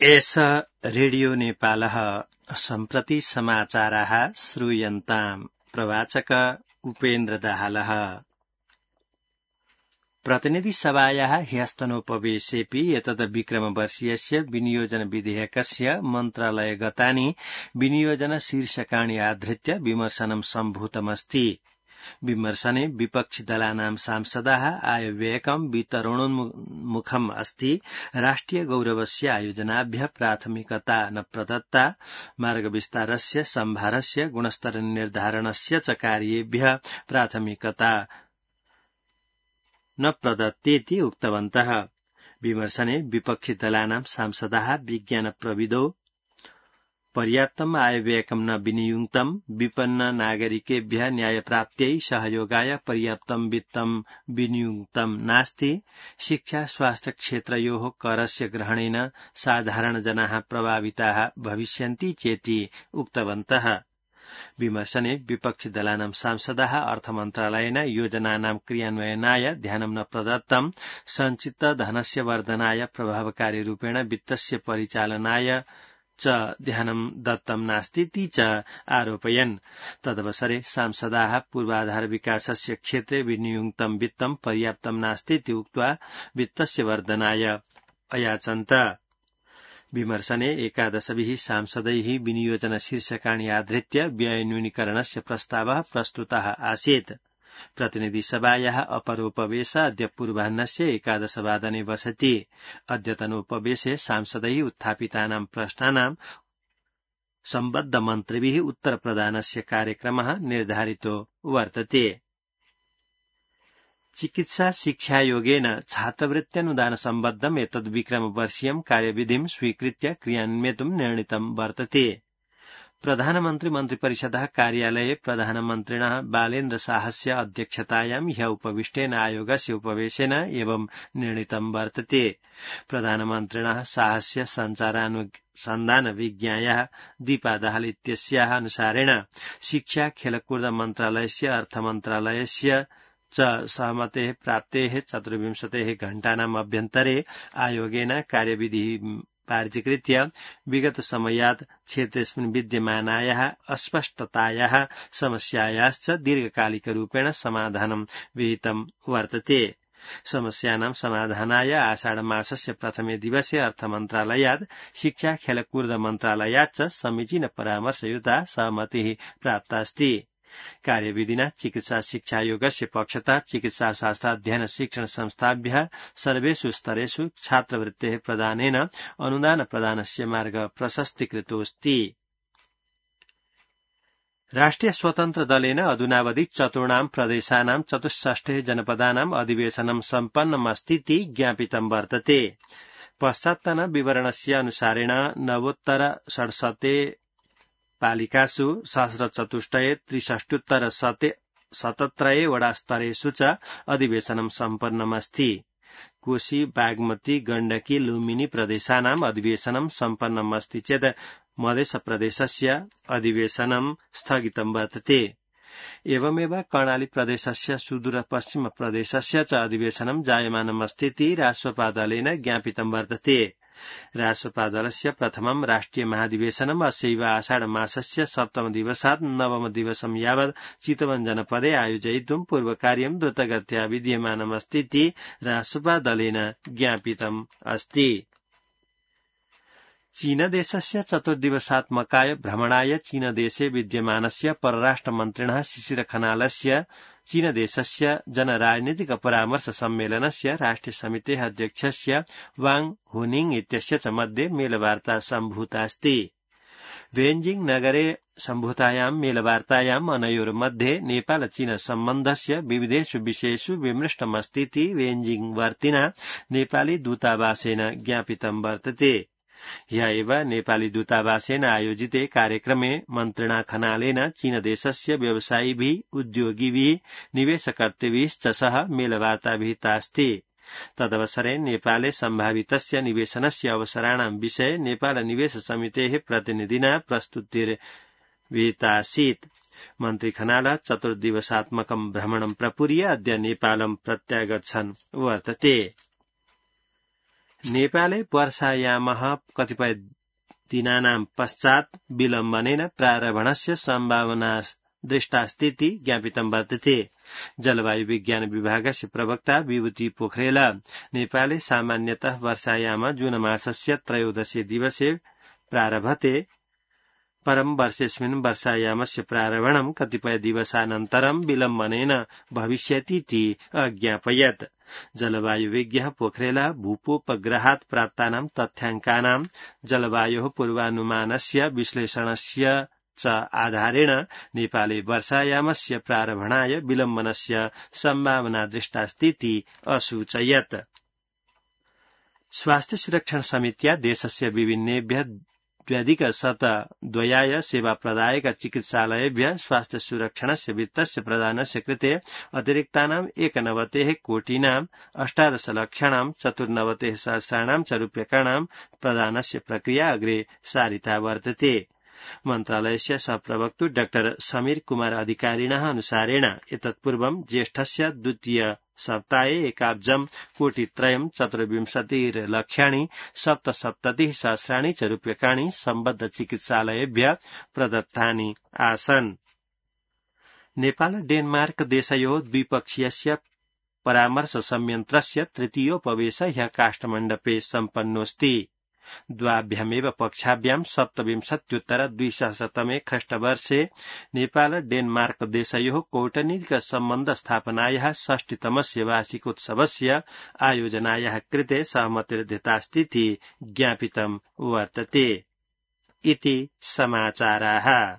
एष रेडियो नेपालः सम्प्रति समाचाराः श्रूयन्ताम्। प्रवाचक उपेन्द्र दाहालः। प्रतिनिधिसभायाः ह्यस्तनोपवेशेऽपि एतद् विक्रमवर्षीयस्य विनियोजन विधेयकस्य मन्त्रालयगतानि विनियोजन शीर्षकाणि आधृत्य विमर्शनं सम्भूतमस्ति। विमर्शने विपक्षिदलानां सांसदाः आयव्ययकं वितरणोन्मुखम् अस्ति। राष्ट्रिय गौरवस्य आयोजनाभ्यः प्राथमिकता न प्रदत्ता, मार्गविस्तारस्य सम्भारस्य गुणस्तर निर्धारणस्य च कार्येभ्यः प्राथमिकता न प्रदत्तेति उक्तवन्तः। विमर्शने विपक्षिदलानां सांसदाः विज्ञान प्रविदो पर्याप्तम् आयव्ययकं न विनियुक्तम्, विपन्न नागरिकेभ्यः न्यायप्राप्त्यै सहयोगाय पर्याप्तं वित्तं विनियुक्तं नास्ति, शिक्षा स्वास्थ्य क्षेत्रयोः करस्य ग्रहणेन साधारणजनाः प्रभाविताः भविष्यन्ति चेति उक्तवन्तः। विमर्शने विपक्षिदलानां सांसदाः अर्थमन्त्रालयेन योजनानां क्रियान्वयनाय ध्यानं न प्रदत्तं, सञ्चित धनस्य वर्धनाय प्रभावकारी रूपेण वित्तस्य परिचालनाय च ध्यानं दत्तं नास्तीति च आरोपयन्। तदवसरे सांसदाः पूर्वाधार विकासस्य क्षेत्रे विनियुक्तं वित्तं पर्याप्तं नास्तीति उक्त्वा वित्तस्य वर्धनाय अयाचन्त। विमर्शने 11 सांसदैः विनियोजन शीर्षकाणि आधृत्य व्यय न्यूनीकरणस्य प्रस्तावः प्रस्तुतः आसीत्। प्रतिनिधिसभायाः अपरोपवेश अद्य पूर्वाह्नस्य 11 वादने वसति। अद्यतनोपवेशे सांसदैः उत्थापितानां प्रश्नानां सम्बद्ध मन्त्रिभिः उत्तरप्रदानस्य कार्यक्रमः निर्धारितो वर्तते। चिकित्सा शिक्षायोगेन छात्रवृत्त्यनुदान सम्बद्धम् एतद् विक्रमवर्षीयं कार्यविधिं स्वीकृत्य क्रियान्वेतुं निर्णीतं वर्तते। प्रधानमन्त्री मन्त्रिपरिषदः कार्यालये प्रधानमन्त्रिणः बालेन्द्र शाहस्य अध्यक्षतायां ह्यः उपविष्टेन आयोगस्य उपवेशेन एवं निर्णीतं वर्तते। प्रधानमन्त्रिणः शाहस्य सञ्चारानुसन्धान विज्ञायाः दीपा दाहाल इत्यस्याः अनुसारेण शिक्षा खेलकूद मन्त्रालयस्य अर्थमन्त्रालयस्य च सहमतेः प्राप्तेः 24 घण्टानाम् अभ्यन्तरे आयोगेन कार्यविधिः पारितीकृत्य विगत समयात् क्षेत्रेऽस्मिन् विद्यमानायाः अस्पष्टतायाः समस्यायाश्च दीर्घकालिकरूपेण समाधानं विहितं वर्तते। समस्यानां समाधानाय आषाढमासस्य प्रथमे दिवसे अर्थमन्त्रालयात् शिक्षा खेलकूद मन्त्रालयात् च समीचीन परामर्शयुता सहमतिः प्राप्तास्ति। कार्यविधिना चिकित्सा शिक्षायोगस्य पक्षतः चिकित्साशास्त्र अध्ययन शिक्षण संस्थाभ्यः सर्वेषु स्तरेषु छात्रवृत्तेः प्रदानेन अनुदान प्रदानस्य मार्ग प्रशस्तीकृतोऽस्ति। राष्ट्रिय स्वतन्त्र दलेन अधुनावधि चतुर्णां प्रदेशानां 64 जनपदानां अधिवेशनं सम्पन्नमस्तीति ज्ञापितं वर्तते। पश्चात्तन विवरणस्य अनुसारेण नवोत्तर 67 पालिकासु सहस्रचतुष्टये 63 वडास्तरेषु च अधिवेशनं सम्पन्नमस्ति। कोशी बागमती गण्डकी लुम्बिनी प्रदेशानाम् अधिवेशनं सम्पन्नमस्ति चेत् मधेशप्रदेशस्य अधिवेशनं स्थगितं वर्तते। एवमेव कर्णाली प्रदेशस्य सुदूरपश्चिम प्रदेशस्य च अधिवेशनं जायमानमस्तीति राष्ट्रपादलेन ज्ञापितं वर्तते। राष्ट्रपादलस्य प्रथमं राष्ट्रिय महाधिवेशनम् अस्यैव आषाढमासस्य 7 दिवसात् 9 दिवसं यावत् चितवन जनपदे आयोजयितुं पूर्वकार्यं द्रुतगत्या विद्यमानमस्तीति राष्ट्रपादलेन ज्ञापितम् अस्ति। चीनदेशस्य 4 दिवसात्मकाय भ्रमणाय चीनदेशे विद्यमानस्य परराष्ट्रमन्त्रिणः शिशिर खनालस्य चीनदेशस्य जनराजनीतिक परामर्श सम्मेलनस्य राष्ट्रिय समितेः अध्यक्षस्य वांग हुनिंग इत्यस्य च मध्ये मेलवार्ता सम्भूतास्ति। बेजिंग नगरे सम्भूतायां मेलवार्तायाम् अनयोर्मध्ये नेपाल चीन सम्बन्धस्य विविधेषु विषयेषु विमृष्टमस्तीति बेजिंग वर्तिना नेपाली दूतावासेन ज्ञापितं वर्तते। ह्यः एव नेपाली दूतावासेन आयोजिते कार्यक्रमे मन्त्रिणा खनालेन चीनदेशस्य व्यवसायिभिः उद्योगिभिः निवेशकर्तृभिश्च सह मेलवार्ता विहितास्ति। तदवसरे नेपाले सम्भावितस्य निवेशनस्य अवसराणां विषये नेपाल निवेश समितेः प्रतिनिधिना प्रस्तुतिर्विहितासीत्। मन्त्री खनाल 4 दिवसात्मकं भ्रमणं प्रपूर्य अद्य नेपालं प्रत्यागच्छन् वर्तते। नेपाले वर्षायामः कतिपय दिनानां पश्चात् विलम्बनेन प्रारम्भणस्य सम्भावना दृष्टास्तीति ज्ञापितं वर्तते। जलवायु विज्ञान विभागस्य प्रवक्ता विभूति पोखरेल नेपाले सामान्यतः वर्षायाम जून मासस्य 13 दिवसे प्रारभते परं वर्षेऽस्मिन् वर्षायामस्य प्रारम्भणं कतिपय दिवसानन्तरं विलम्बनेन भविष्यतीति अज्ञापयत्। जलवायुविज्ञः पोखरेल भूपोपग्रहात् प्राप्तानां तथ्याङ्कानां जलवायोः पूर्वानुमानस्य विश्लेषणस्य च आधारेण नेपाले वर्षायामस्य प्रारम्भणाय विलम्बनस्य सम्भावना दृष्टास्तीति असूचयत्। स्वास्थ्य सुरक्षण समित्या देशस्य विभिन्नेभ्यः 2,102 सेवाप्रदायक चिकित्सालयेभ्यः स्वास्थ्य सुरक्षणस्य वित्तस्य प्रदानस्य कृते अतिरिक्तानाम् 91 कोटीनाम् 18 लक्षाणां 94 सहस्राणां च रूप्यकाणां प्रदानस्य प्रक्रिया अग्रे सारिता वर्तते। मन्त्रालयस्य सहप्रवक्तु डाक्टर समीर कुमार अधिकारिणः अनुसारेण एतत्पूर्वं ज्येष्ठस्य द्वितीय सप्ताहे 1,00,000 कोटित्रयं 24 लक्षाणि 77 सहस्राणि च रूप्यकाणि सम्बद्ध चिकित्सालयेभ्यः प्रदत्तानि आसन्। नेपाल डेनमार्क देशयोः द्विपक्षीयस्य परामर्श संयन्त्रस्य तृतीयोपवेश ह्यः काष्ठमण्डपे सम्पन्नोऽस्ति। द्वाभ्यामेव पक्षाभ्यां 27-2000 ख्रीष्टवर्षे नेपाल डेनमार्क देशयोः कौटनीतिक सम्बन्ध स्थापनायाः 60तमस्य वार्षिकोत्सवस्य आयोजनायाः कृते सहमतिर्दत्तास्तीति ज्ञापितं वर्तते। इति समाचाराः।